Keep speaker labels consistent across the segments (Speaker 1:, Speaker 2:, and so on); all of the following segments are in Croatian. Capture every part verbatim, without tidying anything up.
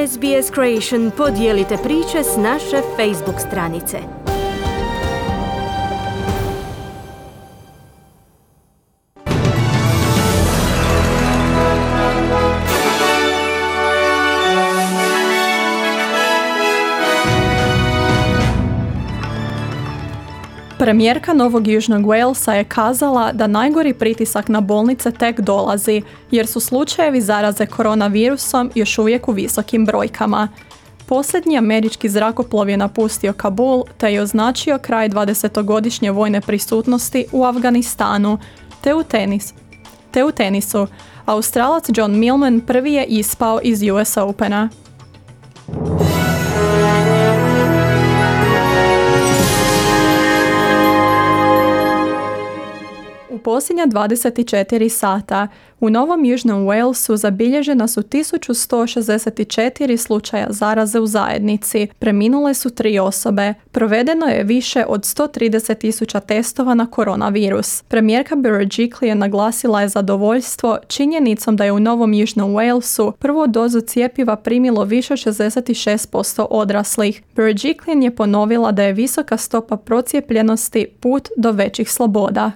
Speaker 1: S B S Creation podijelite priče s naše Facebook stranice.
Speaker 2: Premijerka Novog Južnog Walesa je kazala da najgori pritisak na bolnice tek dolazi, jer su slučajevi zaraze koronavirusom još uvijek u visokim brojkama. Posljednji američki zrakoplov je napustio Kabul te je označio kraj dvadesetogodišnje vojne prisutnosti u Afganistanu, te u, tenis, te u tenisu. Australac John Millman prvi je ispao iz U S Opena. U posljednja dvadeset četiri sata u Novom Južnom Walesu zabilježena su tisuću sto šezdeset četiri slučaja zaraze u zajednici, preminule su tri osobe, provedeno je više od sto trideset tisuća testova na koronavirus. Premijerka Berejiklian je naglasila je zadovoljstvo činjenicom da je u Novom Južnom Walesu prvu dozu cjepiva primilo više od šezdeset šest posto odraslih. Berejiklian je ponovila da je visoka stopa procijepljenosti put do većih sloboda.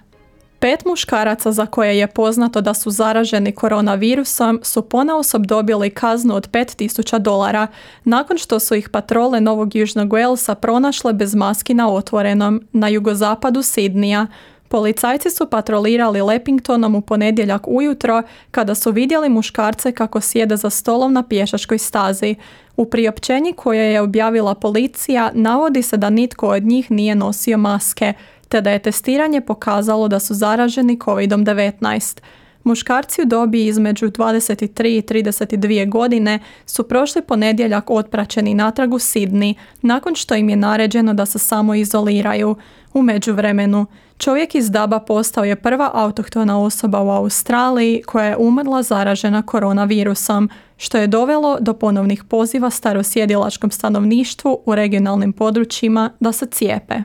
Speaker 2: Pet muškaraca za koje je poznato da su zaraženi koronavirusom su ponaosob dobili kaznu od pet tisuća dolara nakon što su ih patrole Novog Južnog Walesa pronašle bez maski na otvorenom na jugozapadu Sidneya. Policajci su patrolirali Leppingtonom u ponedjeljak ujutro kada su vidjeli muškarce kako sjede za stolom na pješačkoj stazi. U priopćenju koje je objavila policija navodi se da nitko od njih nije nosio maske, te da je testiranje pokazalo da su zaraženi kovid devetnaest. Muškarci u dobi između dvadeset tri i trideset dvije godine su prošli ponedjeljak otpraćeni natrag u Sydney, nakon što im je naređeno da se samo izoliraju. U međuvremenu, čovjek iz Daba postao je prva autohtona osoba u Australiji koja je umrla zaražena koronavirusom, što je dovelo do ponovnih poziva starosjedilačkom stanovništvu u regionalnim područjima da se cijepe.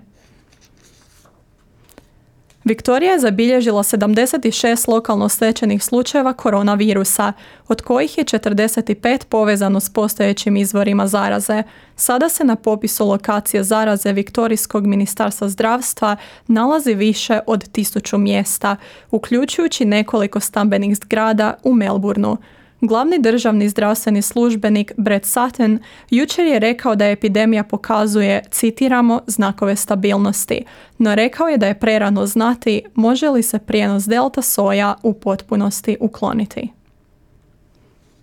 Speaker 2: Viktorija je zabilježila sedamdeset šest lokalno stečenih slučajeva koronavirusa, od kojih je četrdeset pet povezano s postojećim izvorima zaraze. Sada se na popisu lokacije zaraze Viktorijskog ministarstva zdravstva nalazi više od tisuću mjesta, uključujući nekoliko stambenih zgrada u Melbourneu. Glavni državni zdravstveni službenik Brett Sutton jučer je rekao da epidemija pokazuje, citiramo, znakove stabilnosti, no rekao je da je prerano znati može li se prijenos delta soja u potpunosti ukloniti.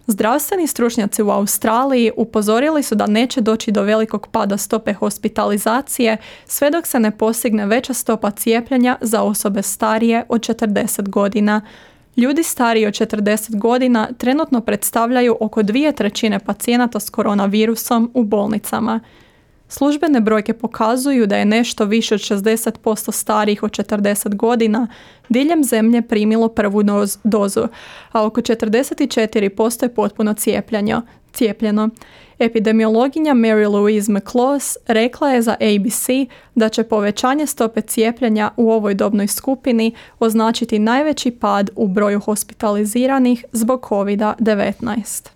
Speaker 2: Zdravstveni stručnjaci u Australiji upozorili su da neće doći do velikog pada stope hospitalizacije sve dok se ne postigne veća stopa cijepljenja za osobe starije od četrdeset godina. Ljudi stariji od četrdeset godina trenutno predstavljaju oko dvije trećine pacijenata s koronavirusom u bolnicama. Službene brojke pokazuju da je nešto više od šezdeset posto starijih od četrdeset godina diljem zemlje primilo prvu dozu, a oko četrdeset četiri posto je potpuno cijepljeno. Epidemiologinja Mary Louise McLaws rekla je za A B C da će povećanje stope cijepljenja u ovoj dobnoj skupini označiti najveći pad u broju hospitaliziranih zbog kovid devetnaest.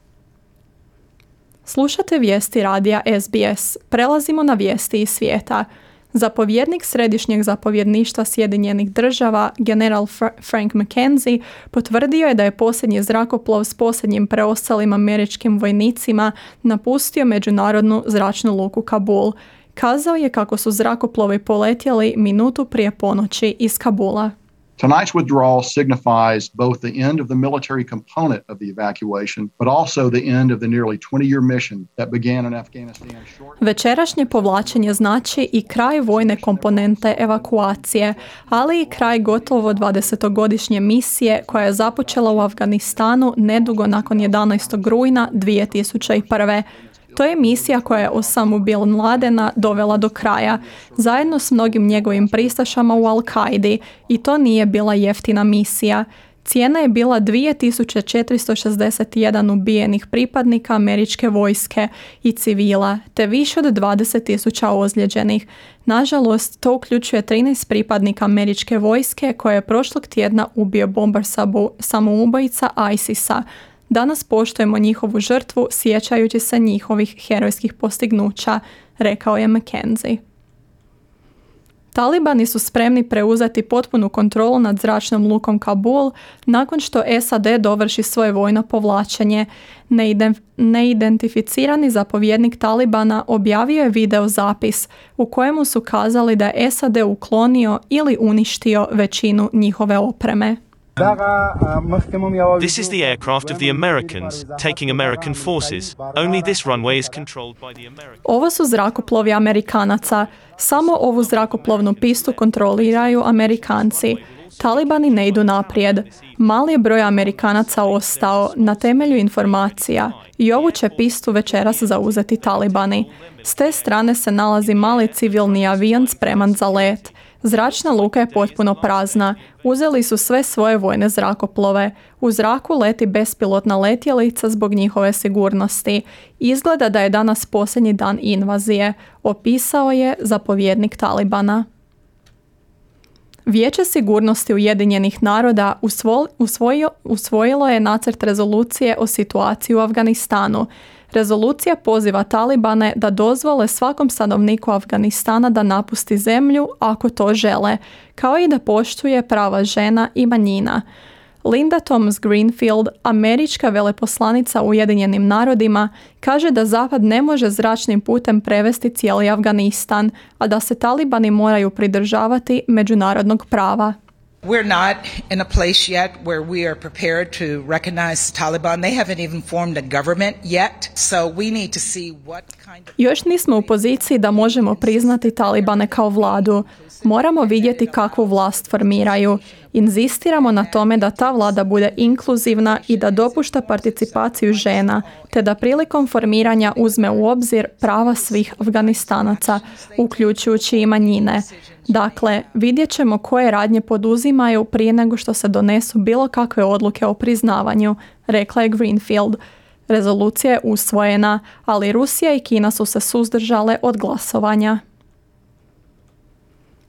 Speaker 2: Slušate vijesti radija S B S. Prelazimo na vijesti iz svijeta. Zapovjednik Središnjeg zapovjedništva Sjedinjenih država, general Frank McKenzie, potvrdio je da je posljednji zrakoplov s posljednjim preostalim američkim vojnicima napustio međunarodnu zračnu luku Kabul. Kazao je kako su zrakoplovi poletjeli minutu prije ponoći iz Kabula.
Speaker 3: Tonight's withdrawal signifies both the end of the military component of the evacuation, but also the end of the nearly twenty-year mission that began in Afghanistan.
Speaker 2: Večerašnje povlačenje znači i kraj vojne komponente evakuacije, ali i kraj gotovo dvadesetogodišnje misije koja je započela u Afganistanu nedugo nakon jedanaestog rujna dvije tisuće prve. To je misija koja je Osamu Bin Ladena dovela do kraja, zajedno s mnogim njegovim pristašama u Al-Kaidi, i to nije bila jeftina misija. Cijena je bila dvije tisuće četiristo šezdeset jedan ubijenih pripadnika američke vojske i civila, te više od dvadeset tisuća ozlijeđenih. Nažalost, to uključuje trinaest pripadnika američke vojske koje je prošlog tjedna ubio bombar samoubojica ISIS-a. Danas poštujemo njihovu žrtvu sjećajući se njihovih herojskih postignuća, rekao je McKenzie. Talibani su spremni preuzeti potpunu kontrolu nad zračnom lukom Kabul nakon što S A D dovrši svoje vojno povlačenje. Neident- neidentificirani zapovjednik Talibana objavio je video zapis u kojemu su kazali da je S A D uklonio ili uništio većinu njihove opreme.
Speaker 4: This is the aircraft of the Americans, taking American forces. Only this runway is controlled by the Americans.
Speaker 2: Ovo su zrakoplovi Amerikanaca. Samo ovu zrakoplovnu pistu kontroliraju Amerikanci. Talibani ne idu naprijed. Mali je broj Amerikanaca ostao na temelju informacija i ovu će pistu večeras zauzeti Talibani. S te strane se nalazi mali civilni avion spreman za let. Zračna luka je potpuno prazna. Uzeli su sve svoje vojne zrakoplove. U zraku leti bespilotna letjelica zbog njihove sigurnosti. Izgleda da je danas posljednji dan invazije, opisao je zapovjednik Talibana. Vijeće sigurnosti Ujedinjenih naroda usvo, usvojio, usvojilo je nacrt rezolucije o situaciji u Afganistanu. Rezolucija poziva Talibane da dozvole svakom stanovniku Afganistana da napusti zemlju ako to žele, kao i da poštuje prava žena i manjina. Linda Thomas Greenfield, američka veleposlanica u Ujedinjenim narodima, kaže da Zapad ne može zračnim putem prevesti cijeli Afganistan, a da se Talibani moraju pridržavati međunarodnog prava.
Speaker 5: We're not in a place yet where we are prepared to recognize the Taliban. They haven't even formed a government yet, so we need to see what kind of...
Speaker 2: Još nismo u poziciji da možemo priznati Talibane kao vladu. Moramo vidjeti kakvu vlast formiraju. Inzistiramo na tome da ta vlada bude inkluzivna i da dopušta participaciju žena, te da prilikom formiranja uzme u obzir prava svih Afganistanaca, uključujući i manjine. Dakle, vidjet ćemo koje radnje poduzimaju prije nego što se donesu bilo kakve odluke o priznavanju, rekla je Greenfield. Rezolucija je usvojena, ali Rusija i Kina su se suzdržale od glasovanja.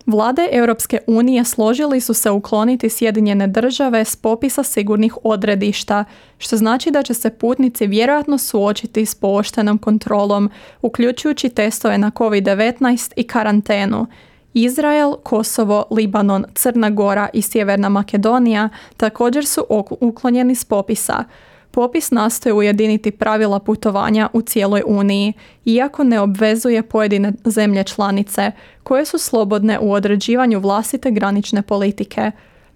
Speaker 2: Vlade Europske unije složili su se ukloniti Sjedinjene države s popisa sigurnih odredišta, što znači da će se putnici vjerojatno suočiti s pooštrenom kontrolom, uključujući testove na kovid devetnaest i karantenu. Izrael, Kosovo, Libanon, Crna Gora i Sjeverna Makedonija također su uklonjeni s popisa. Popis nastoji ujediniti pravila putovanja u cijeloj Uniji, iako ne obvezuje pojedine zemlje članice, koje su slobodne u određivanju vlastite granične politike.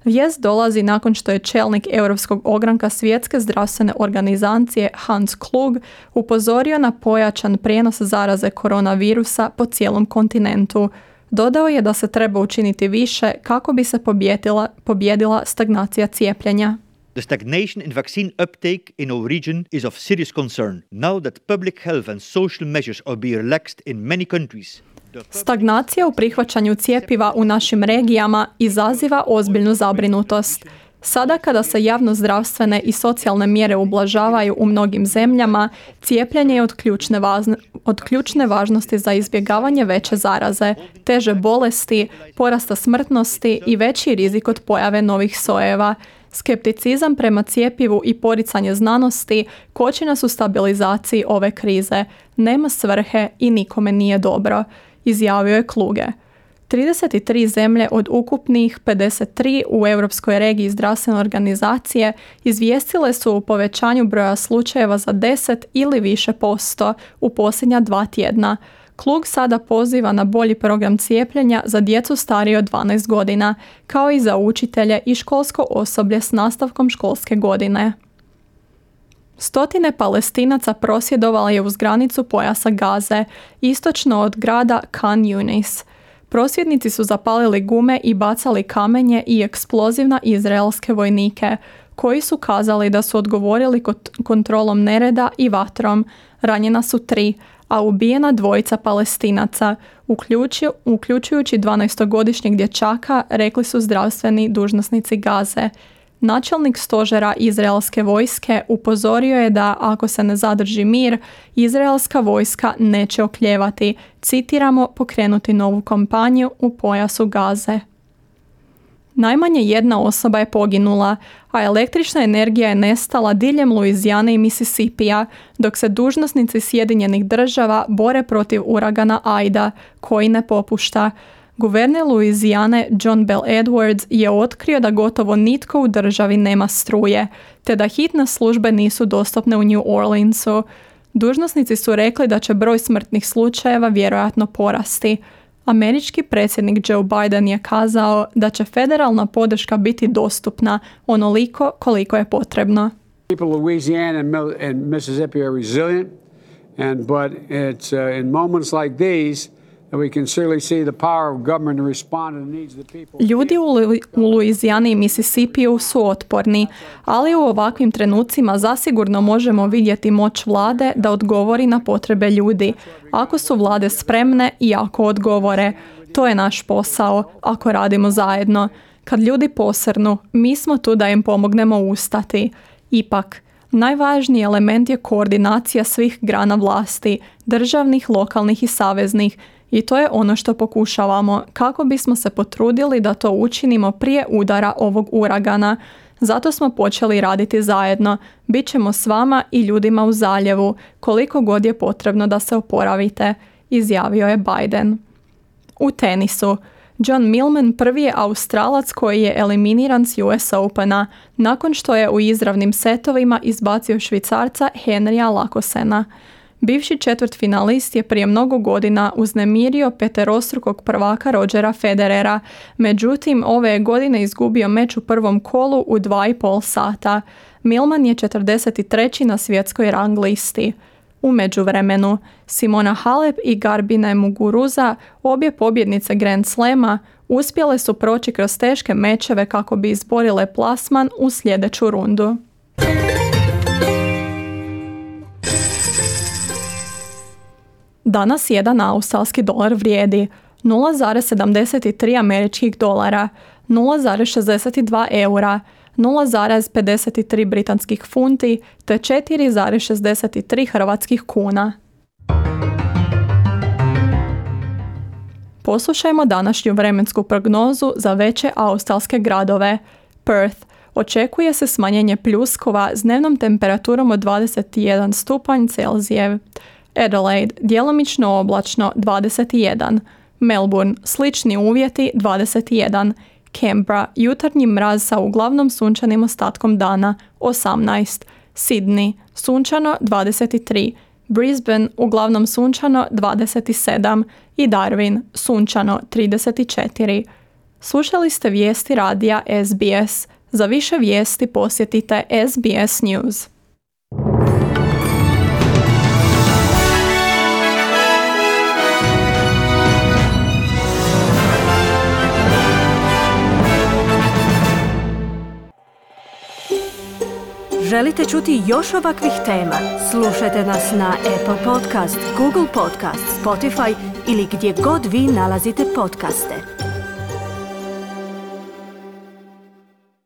Speaker 2: Vijest dolazi nakon što je čelnik Europskog ogranka Svjetske zdravstvene organizacije Hans Klug upozorio na pojačan prijenos zaraze koronavirusa po cijelom kontinentu. Dodao je da se treba učiniti više kako bi se pobjedila, pobjedila stagnacija cijepljenja.
Speaker 6: The stagnation in vaccine uptake in our region is of serious concern. Now that public health and social measures are being relaxed in many countries.
Speaker 2: Stagnacija u prihvaćanju cjepiva u našim regijama izaziva ozbiljnu zabrinutost. Sada kada se javnozdravstvene i socijalne mjere ublažavaju u mnogim zemljama, cijepljenje je od ključne, važne, od ključne važnosti za izbjegavanje veće zaraze, teže bolesti, porasta smrtnosti i veći rizik od pojave novih sojeva. Skepticizam prema cjepivu i poricanje znanosti koči nas u stabilizaciji ove krize. Nema svrhe i nikome nije dobro, izjavio je Kluge. trideset tri zemlje od ukupnih pedeset tri u Europskoj regiji zdravstvene organizacije izvijestile su o povećanju broja slučajeva za deset ili više posto u posljednja dva tjedna. Klug sada poziva na bolji program cijepljenja za djecu starije od dvanaest godina, kao i za učitelje i školsko osoblje s nastavkom školske godine. Stotine Palestinaca prosvjedovalo je uz granicu pojasa Gaze, istočno od grada Khan Yunis. Prosvjednici su zapalili gume i bacali kamenje i eksploziv na izraelske vojnike, koji su kazali da su odgovorili kontrolom nereda i vatrom. Ranjena su tri, a ubijena dvojica Palestinaca, uključi, uključujući dvanaestogodišnjeg dječaka, rekli su zdravstveni dužnosnici Gaze. Načelnik stožera izraelske vojske upozorio je da ako se ne zadrži mir, izraelska vojska neće oklijevati, citiramo, pokrenuti novu kampanju u pojasu Gaze. Najmanje jedna osoba je poginula, a električna energija je nestala diljem Luizijane i Misisipija, dok se dužnosnici Sjedinjenih država bore protiv uragana Aida, koji ne popušta. Guverner Luizijane John Bell Edwards je otkrio da gotovo nitko u državi nema struje, te da hitne službe nisu dostupne u New Orleansu. Dužnosnici su rekli da će broj smrtnih slučajeva vjerojatno porasti. Američki predsjednik Joe Biden je kazao da će federalna podrška biti dostupna onoliko koliko je potrebno.
Speaker 7: People of Louisiana and, Mil- and Mississippi are resilient, and but it's uh, in moments like these that we can certainly see the power of government to respond to the needs of the people.
Speaker 2: Ljudi u, Lu- u Luizijani i Mississipiju su otporni, ali u ovakvim trenucima zasigurno možemo vidjeti moć vlade da odgovori na potrebe ljudi, ako su vlade spremne i ako odgovore. To je naš posao, ako radimo zajedno. Kad ljudi posrnu, mi smo tu da im pomognemo ustati. Ipak, najvažniji element je koordinacija svih grana vlasti, državnih, lokalnih i saveznih, i to je ono što pokušavamo kako bismo se potrudili da to učinimo prije udara ovog uragana. Zato smo počeli raditi zajedno. Bićemo s vama i ljudima u zaljevu koliko god je potrebno da se oporavite, izjavio je Biden. U tenisu. John Millman prvi je Australac koji je eliminiran s U S Opena nakon što je u izravnim setovima izbacio Švicarca Henrya Lakosena. Bivši četvrtfinalist je prije mnogo godina uznemirio peterostrukog prvaka Rodgera Federera, međutim ove je godine izgubio meč u prvom kolu u dva i pol sata. Millman je četrdeset treći na svjetskoj rang listi. U međuvremenu, Simona Halep i Garbine Muguruza, obje pobjednice Grand Slama, uspjele su proći kroz teške mečeve kako bi izborile plasman u sljedeću rundu. Danas jedan australski dolar vrijedi nula zarez sedamdeset tri američkih dolara, nula zarez šezdeset dva eura, nula zarez pedeset tri britanskih funti te četiri zarez šezdeset tri hrvatskih kuna. Poslušajmo današnju vremensku prognozu za veće australske gradove. Perth. Očekuje se smanjenje pljuskova s dnevnom temperaturom od dvadeset jedan stupanj Celzijev. Adelaide, djelomično oblačno dvadeset jedan. Melbourne, slični uvjeti dvadeset jedan. Canberra, jutarnji mraz sa uglavnom sunčanim ostatkom dana osamnaest. Sydney, sunčano dvadeset tri. Brisbane, uglavnom sunčano dvadeset sedam. I Darwin, sunčano trideset četiri. Slušali ste vijesti radija S B S. Za više vijesti posjetite S B S News.
Speaker 1: Želite čuti još ovakvih tema? Slušajte nas na Apple Podcast, Google Podcast, Spotify ili gdje god vi nalazite podcaste.